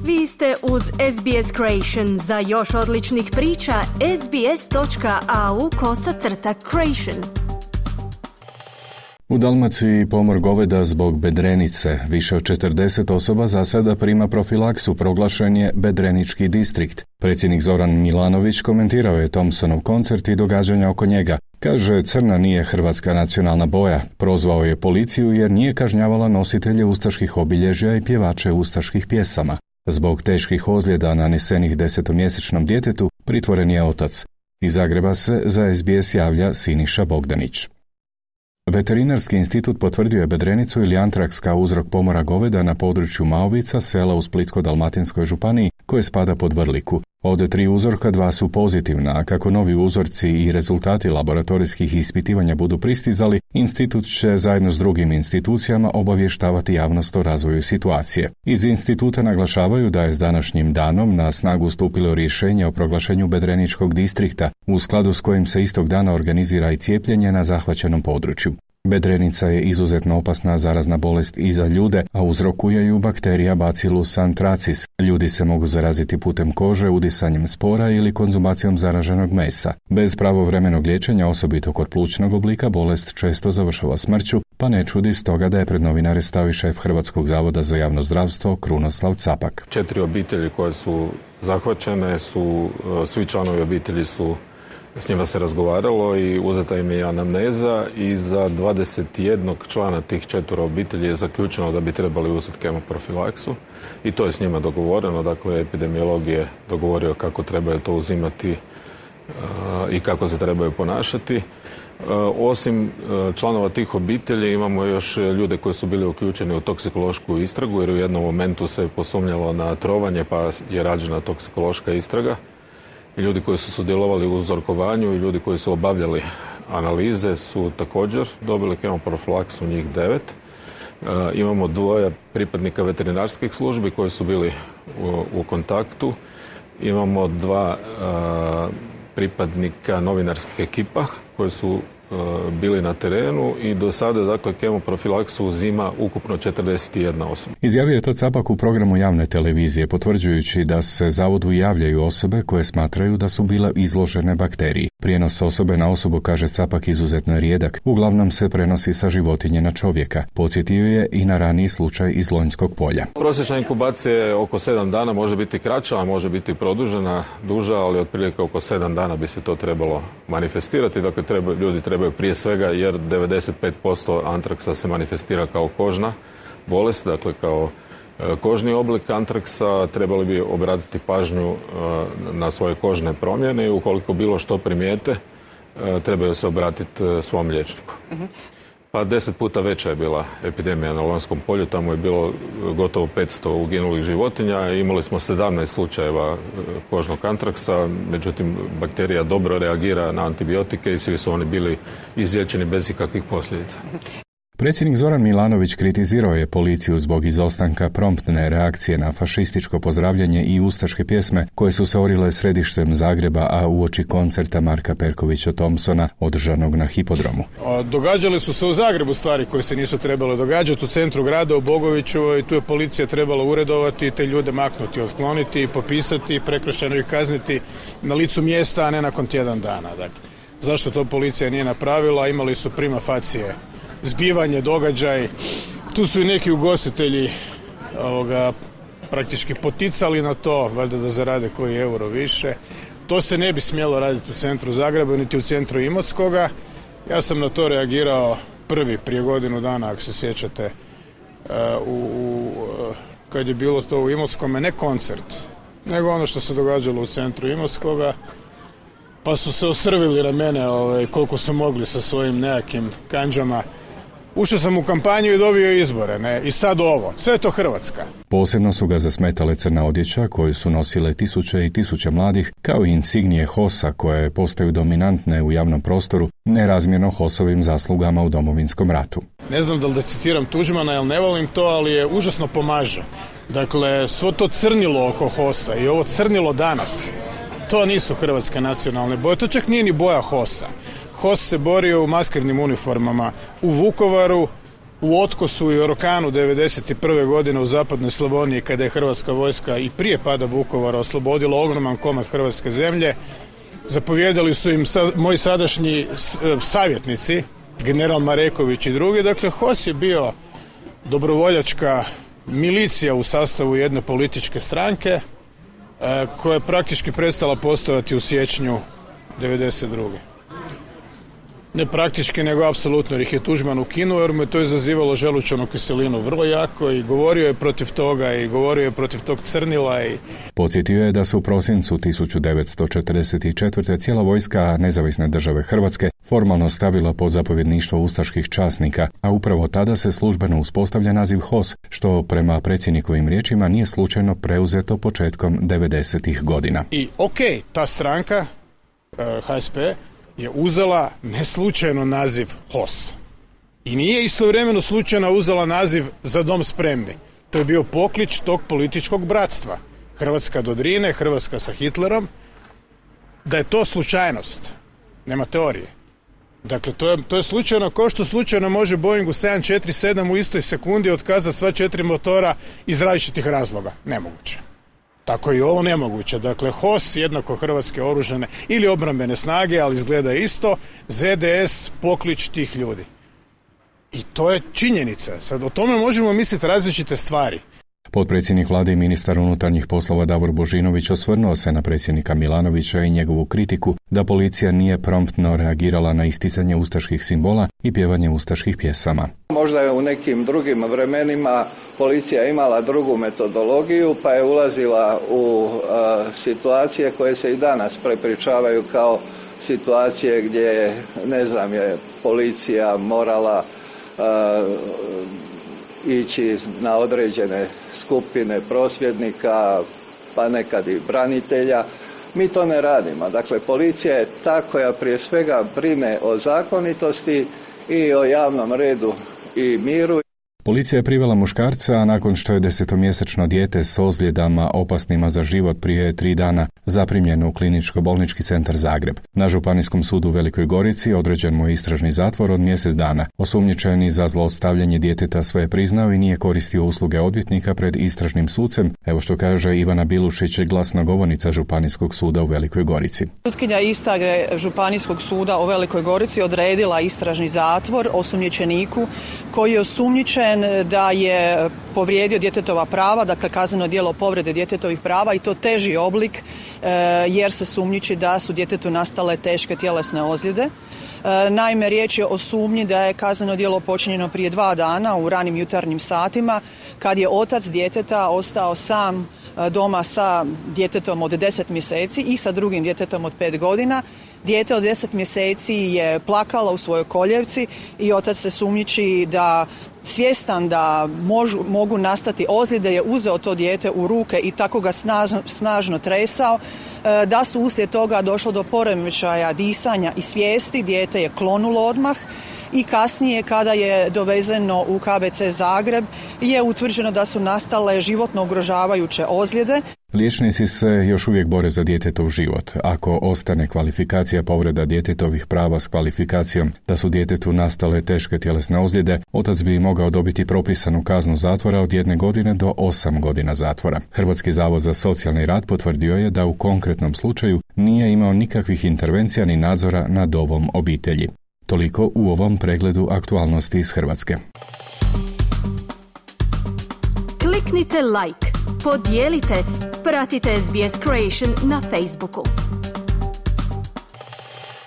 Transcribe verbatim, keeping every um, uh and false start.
Vi ste uz S B S Creation. Za još odličnih priča, sbs.au kosacrta creation. U Dalmaciji pomor goveda zbog bedrenice. Više od četrdeset osoba za sada prima profilaksu, proglašen je bedrenički distrikt. Predsjednik Zoran Milanović komentirao je Thompsonov koncert i događanja oko njega. Kaže, crna nije hrvatska nacionalna boja. Prozvao je policiju jer nije kažnjavala nositelje ustaških obilježja i pjevače ustaških pjesama. Zbog teških ozljeda nanesenih desetomjesečnom djetetu pritvoren je otac. Iz Zagreba se za S B S javlja Siniša Bogdanić. Veterinarski institut potvrdio je bedrenicu ili antraks kao uzrok pomora goveda na području Maovica, sela u Splitsko-dalmatinskoj županiji, koje spada pod Vrliku. Od tri uzorka dva su pozitivna, a kako novi uzorci i rezultati laboratorijskih ispitivanja budu pristizali, institut će zajedno s drugim institucijama obavještavati javnost o razvoju situacije. Iz instituta naglašavaju da je s današnjim danom na snagu stupilo rješenje o proglašenju bedreničkog distrikta, u skladu s kojim se istog dana organizira i cijepljenje na zahvaćenom području. Bedrenica je izuzetno opasna zarazna bolest i za ljude, a uzrokuje ju bakterija Bacillus anthracis. Ljudi se mogu zaraziti putem kože, udisanjem spora ili konzumacijom zaraženog mesa. Bez pravovremenog liječenja, osobito kod plućnog oblika, bolest često završava smrću, pa ne čudi stoga da je pred novinare stao i šef Hrvatskog zavoda za javno zdravstvo Krunoslav Capak. Četiri obitelji koje su zahvaćene su, svi članovi obitelji su, s njima se razgovaralo i uzeta im je anamneza i za dvadeset jednog člana tih četvoro obitelji je zaključeno da bi trebali uzeti kemoprofilaksu i to je s njima dogovoreno. Dakle, epidemiolog je dogovorio kako trebaju to uzimati uh, i kako se trebaju ponašati. Uh, osim uh, članova tih obitelji imamo još ljude koji su bili uključeni u toksikološku istragu jer u jednom momentu se posumnjalo na trovanje pa je rađena toksikološka istraga. I ljudi koji su sudjelovali u uzorkovanju i ljudi koji su obavljali analize su također dobili kemoprofilaksu, njih devet. E, imamo dvoje pripadnika veterinarskih službi koji su bili u, u kontaktu. Imamo dva e, pripadnika novinarskih ekipa koji su bili na terenu i do sada, dakle, kemoprofilaksu uzima ukupno četrdeset jedna osoba. Izjavio je to Capak u programu javne televizije, potvrđujući da se zavodu javljaju osobe koje smatraju da su bile izložene bakteriji. Prijenos osobe na osobu, kaže Capak, izuzetno je rijedak. Uglavnom se prenosi sa životinje na čovjeka. Podsjetio je i na raniji slučaj iz Lonjskog polja. Prosječna inkubacija je oko sedam dana, može biti kraća, a može biti produžena, duža, ali otprilike oko sedam dana bi se to trebalo manifestirati. Dakle, treba, ljudi trebaju prije svega, jer devedeset pet posto antraksa se manifestira kao kožna bolest, dakle kao kožni oblik antraksa, trebali bi obratiti pažnju na svoje kožne promjene i ukoliko bilo što primijete, trebaju se obratiti svom liječniku. Uh-huh. Pa deset puta veća je bila epidemija na Lonjskom polju, tamo je bilo gotovo petsto uginulih životinja, imali smo sedamnaest slučajeva kožnog antraksa, međutim bakterija dobro reagira na antibiotike i svi su oni bili izliječeni bez ikakvih posljedica. Predsjednik Zoran Milanović kritizirao je policiju zbog izostanka promptne reakcije na fašističko pozdravljanje i ustaške pjesme koje su se orile središtem Zagreba, a uoči koncerta Marka Perkovića Thompsona održanog na hipodromu. Događale su se u Zagrebu stvari koje se nisu trebale događati, u centru grada, u Bogoviću, i tu je policija trebala uredovati, te ljude maknuti, otkloniti, popisati, prekršajno ih kazniti na licu mjesta, a ne nakon tjedan dana. Dakle, zašto to policija nije napravila? Imali su prima facie zbivanje, događaj. Tu su i neki ugostitelji ovoga, praktički poticali na to, valjda da zarade koji euro više. To se ne bi smjelo raditi u centru Zagreba, niti u centru Imotskoga. Ja sam na to reagirao prvi prije godinu dana, ako se sjećate, u, u, kad je bilo to u Imotskome, ne koncert, nego ono što se događalo u centru Imotskoga. Pa su se ostrvili na mene ovaj, koliko su mogli sa svojim nekakvim kanđama. Ušao sam u kampanju i dobio izbore, ne? I sad ovo. Sve je to Hrvatska. Posebno su ga zasmetale crna odjeća koju su nosile tisuće i tisuće mladih, kao i insignije Hosa koje postaju dominantne u javnom prostoru, nerazmjerno Hosovim zaslugama u Domovinskom ratu. Ne znam da li da citiram Tuđmana, jer ne volim to, ali je užasno pomaže. Dakle, svo to crnilo oko Hosa i ovo crnilo danas, to nisu hrvatske nacionalne boje, to čak nije ni boja Hosa. Hos se borio u maskernim uniformama u Vukovaru u Otkosu i Orokanu devedeset prve godine u zapadnoj Slavoniji, kada je hrvatska vojska i prije pada Vukovara oslobodila ogroman komad hrvatske zemlje. Zapovjedali su im sa, moji sadašnji savjetnici, general Mareković i drugi. Dakle, H O S je bio dobrovoljačka milicija u sastavu jedne političke stranke e, koja je praktički prestala postojati u siječnju devedeset druge. Ne praktički, nego apsolutno, jer ih je Tuđman ukinuo, jer mu je to izazivalo želučanu kiselinu vrlo jako i govorio je protiv toga i govorio je protiv tog crnila. I... Podsjetio je da su u prosincu tisuću devetsto četrdeset četvrte cijela vojska Nezavisne države Hrvatske formalno stavila pod zapovjedništvo ustaških časnika, a upravo tada se službeno uspostavlja naziv H O S, što prema predsjednikovim riječima nije slučajno preuzeto početkom devedesetih godina. I okej, okay, ta stranka, H S P, je uzela neslučajno naziv H O S. I nije istovremeno slučajno uzela naziv Za dom spremni. To je bio poklič tog političkog bratstva. Hrvatska do Drine, Hrvatska sa Hitlerom. Da je to slučajnost, nema teorije. Dakle, to je, to je slučajno, kao što slučajno može Boeingu sedam četiri sedam u istoj sekundi otkazati sva četiri motora iz različitih razloga. Nemoguće. Tako i ovo nemoguće. Dakle, H O S jednako hrvatske oružane ili obrambene snage, ali izgleda isto, Z D S poklič tih ljudi. I to je činjenica. Sad o tome možemo misliti različite stvari. Potpredsjednik vlade i ministar unutarnjih poslova Davor Božinović osvrnuo se na predsjednika Milanovića i njegovu kritiku da policija nije promptno reagirala na isticanje ustaških simbola i pjevanje ustaških pjesama. Možda je u nekim drugim vremenima policija imala drugu metodologiju, pa je ulazila u uh, situacije koje se i danas prepričavaju kao situacije gdje, ne znam, je policija morala uh, ići na određene skupine prosvjednika, pa nekad i branitelja. Mi to ne radimo. Dakle, policija je ta koja prije svega brine o zakonitosti i o javnom redu i miru. Policija je privela muškarca, a nakon što je desetomjesečno dijete s ozljedama opasnima za život prije tri dana zaprimljeno u kliničko-bolnički centar Zagreb. Na Županijskom sudu u Velikoj Gorici određen mu je istražni zatvor od mjesec dana. Osumnjičeni za zlostavljanje djeteta sve je priznao i nije koristio usluge odvjetnika pred istražnim sucem, evo što kaže Ivana Bilušić, glasnogovornica Županijskog suda u Velikoj Gorici. Sutkinja istrage Županijskog suda u Velikoj Gorici odredila istražni zatvor osumnjičeniku koji je osumnjičen da je povrijedio djetetova prava, dakle kazneno djelo povrede djetetovih prava i to teži oblik e, jer se sumnjiči da su djetetu nastale teške tjelesne ozljede. E, naime, riječ je o sumnji da je kazneno djelo počinjeno prije dva dana u ranim jutarnjim satima kad je otac djeteta ostao sam doma sa djetetom od deset mjeseci i sa drugim djetetom od pet godina. Dijete od deset mjeseci je plakalo u svojoj koljevci i otac se sumnjiči da svjestan da možu, mogu nastati ozljede je uzeo to dijete u ruke i tako ga snažno, snažno tresao, da su uslijed toga došlo do poremećaja disanja i svijesti, dijete je klonulo odmah i kasnije kada je dovezeno u K B C Zagreb je utvrđeno da su nastale životno ugrožavajuće ozljede. Liječnici se još uvijek bore za djetetov život. Ako ostane kvalifikacija povreda djetetovih prava s kvalifikacijom da su djetetu nastale teške tjelesne ozljede, otac bi mogao dobiti propisanu kaznu zatvora od jedne godine do osam godina zatvora. Hrvatski zavod za socijalni rad potvrdio je da u konkretnom slučaju nije imao nikakvih intervencija ni nadzora nad ovom obitelji. Toliko u ovom pregledu aktualnosti iz Hrvatske. Kliknite like, podijelite, pratite S B S Creation na Facebooku.